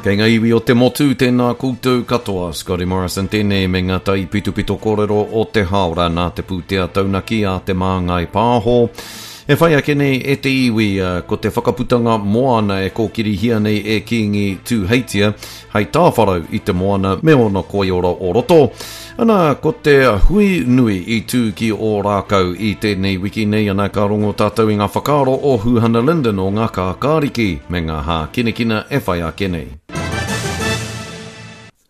Kei ngā iwi o te motu, tēnā koutou katoa. Scotty Morrison tēnei me ngā taipitopito kōrero o te hāora nā te pūtea taunaki a Te Māngai Pāho. E whai ake nei e te iwi, ko te whakaputanga moana e kōkirihia nei e Kīngi Tūheitia hei tāwharau i te moana me ōna koiora o roto. Ana, ko te hui nui i tū ki Ōrākau i tēnei wiki nei, ana ka rongo tātou i ngā whakaaro o Huhana Lyndon o ngā Kākāriki me ngā hākinakina e whai ake nei.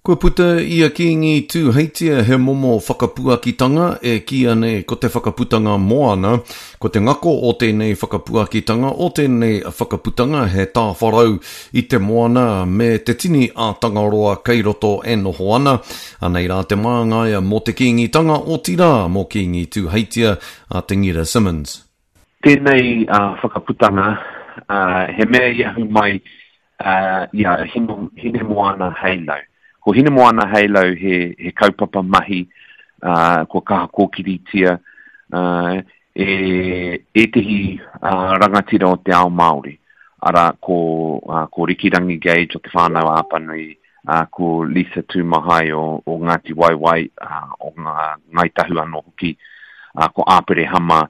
Kua puta i a Kīngi Tūheitia he momo whakapuakitanga e kīia nei ko te whakaputanga moana. Ko te ngako o tēnei whakapuakitanga, o tēnei whakaputanga he tāwharau i te moana me te tini a Tangaroa kei roto e noho ana. Anei rā te māngai mō te Kīngitanga, otirā mō Kīngi Tūheitia a Te Ngira Simmons. Tēnei whakaputanga, he mea i ahu mai i a Hinemoana Heilau. Ko Hinemoana Heilau he, he kaupapa mahi kua kaha kōkiritia e ētehi rangatira o te ao Māori. Arā, ko, ko Rikirangi Gage o Te Whānau-a-Apanui, ko Lisa Tūmahai o, o Ngāti Waewae, o Ngā, Ngāi Tahu anō hoki, ko Āperehama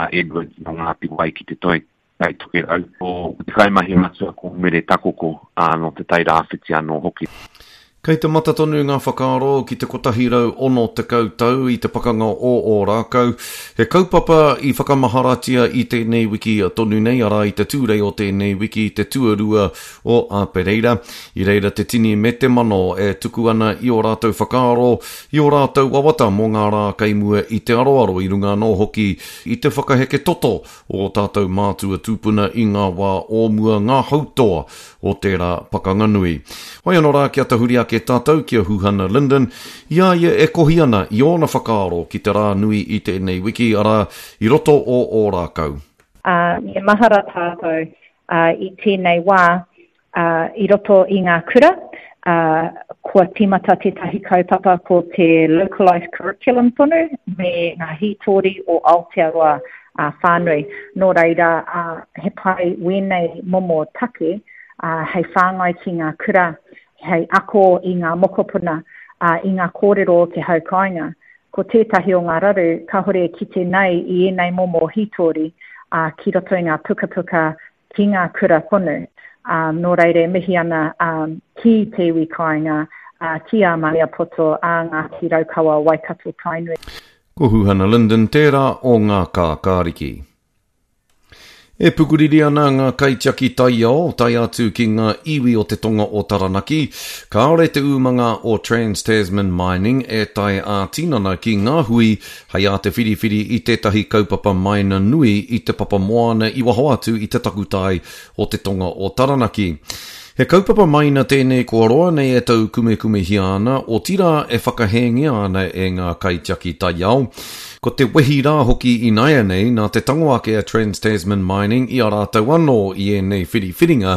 Edwards nō Ngāti Wai ki te Toi Tai Tokerau, ko te kaimahi matua ko Mere Takoko, ā, nō Te Tai Rāwhiti anō hoki. Kei te mata tonu ngā whakaaro ki te 160 tau i te pakanga o Ōrākau, he kaupapa i whakamaharatia i tēnei wiki tonu nei, arā i te Tūrei o tēnei wiki, te tuarua o Āpereira. I reira te tini me te mano e tuku ana i ō rātou whakaaro, i ō rātou wawata mō ngā rā kei mua i te aroaro i runga anō hoki i te whakaheke toto o ō tātou mātua tūpuna i ngā wā o mua, ngā hautoa o tērā pakanga nui. Whai anō rā kia tahuri ake tātou ki a Huhana Lyndon, i a ia e kohi ana i ōna whakaaro ki te rā nui i tēnei wiki, arā, i roto o Ōrākau. Ā, me mahara tātou, ā, i tēnei wā, ā, i roto i ngā kura, ā, kua tīmata tētahi kaupapa ko te localised curriculum tonu me ngā hītori o Aotearoa ā, whānui. Nō reira, ā, he pai wēnei momo take, ā, hei whāngai ki ngā kura, hei ako i ngā mokopuna, ā, i ngā kōrero o te hau kāinga. Ko tētahi o ngā raru kāore e kite nei i ēnei momo hītori, ā, ki roto i ngā pukapuka ki ngā kura tonu. Ā, nō reira e mihi ana ki te iwi kāinga, ā, ki a Maniapoto, ā Ngāti Raukawa, Waikato, Tainui. Ko Huhana Lyndon tērā o ngā kākāriki. E pukuriri ana ngā kaitiaki taiao, tae atu ki ngā iwi o te tonga o Taranaki, kāore te umanga o Trans-Tasman Mining e tae ā-tinana ki ngā hui Hei ā te whiriwhiri i tētahi kaupapa maina nui i te papa moana i waho atu i te takutai o te tonga o Taranaki. He kaupapa maina tēnei kua roa nei e taukumekumehia ana, otirā e whakahēngia ana e ngā kaitiaki taiao. Ko te wehi rā hoki ināianei nā te tango ake a Trans-Tasman Mining i a rātou anō i ēnei whiriwhiringa,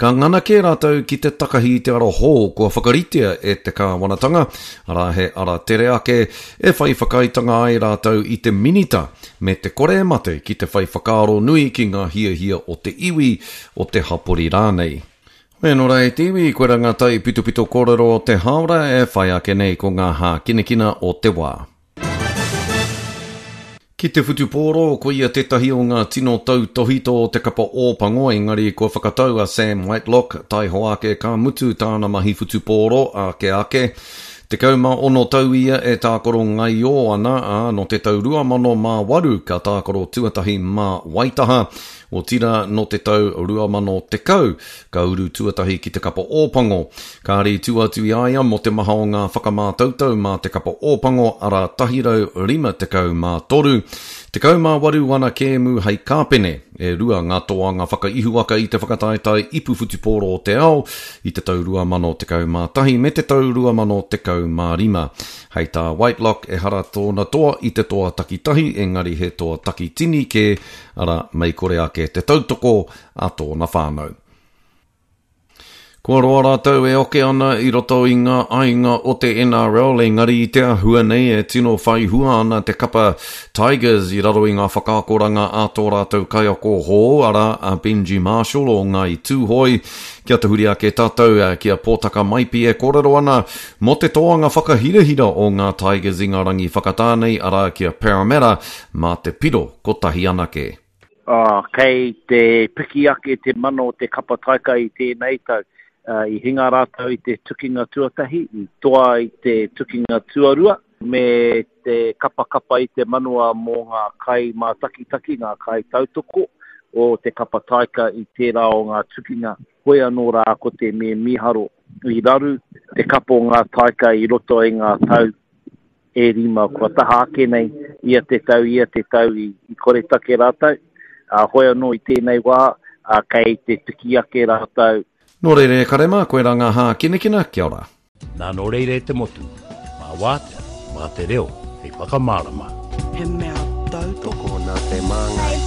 ka ngana kē rātou ki te takahi i te ara hou kua whakaritea e te kāwanatanga, arā he ara tere ake, E whai whakaaetanga ai rātou i te Minita me te kore e mate ki te whai whakaaro nui ki ngā hiahia o te iwi, o te hapori rānei. Hoi anō rā e te iwi, koirā ngā taipitopito kōrero o te hāora e whai ake nei ko ngā hākinakina o te wā. Ki te whutupōro, koia tētahi o ngā tino tautōhito o te kapa Ōpango, engari kua whakatau a Sam Whitelock, taihoa ake ka mutu tāna mahi whutupōro, ake ake. 16 tau ia e tākaro ngaiō ana, ā, nō te tau 2008 ka tākaro tuatahi mā Waitaha, otirā nō te tau 2010 ka uru tuatahi ki te kapa Ōpango. Kāre i tua atu i a ia mō te maha o ngā whakamātautau mā te kapa Ōpango, arā 153. 18 ana kēmu hei kāpene, e rua ngā toanga whakaihuwaka i te whakataetae ipu whutupōro o te ao i te tau 2011 me te tau 2015. Hei tā Whitelock, ehara tōna toa i te toa takitahi, engari he toa takitini kē, arā, mei kore ake te tautoko a tōna whānau. Kua roa rātou e oke ana i roto i ngā aiga o te NRL, engari i te āhua nei e tino whai hua ana te kapa Tigers i raro i ngā whakaakoranga a tō rātou kaiako hou, arā, a Benji Marshall o Ngāi Tūhoe. Kia tahuri ake tātou ki a Pōtaka Maipi e kōrero ana mō te toanga whakahirahira o ngā Tigers i ngā rangi whakatā nei, arā, ki a Parramatta mā te piro kotahi anake. Ā, kei te piki ake te mana o te kapa taika i tēnei tau. I hinga rātou i te tukinga tuatahi, i toa i te tukinga tuarua, me te kapakapa i te manawa mō ngā kaimātakitaki, ngā kaitautoko o te kapa taika i tērā o ngā tukinga. Hoi anō rā ko te me mīharo, i raru te kapa o ngā taika i roto i ngā tau e rima kua taha ake nei, ia te tau, ia te tau i, i koretake rātou. Ā, hoi anō i tēnei wā, ā, kei te piki ake rātou. Nō reira e kare mā, koirā ngā hākinakina, kia ora. Nā nō reira e te motu, mā wātea, mā te reo hei whakamārama. He mea tautoko. Tokona te māngai.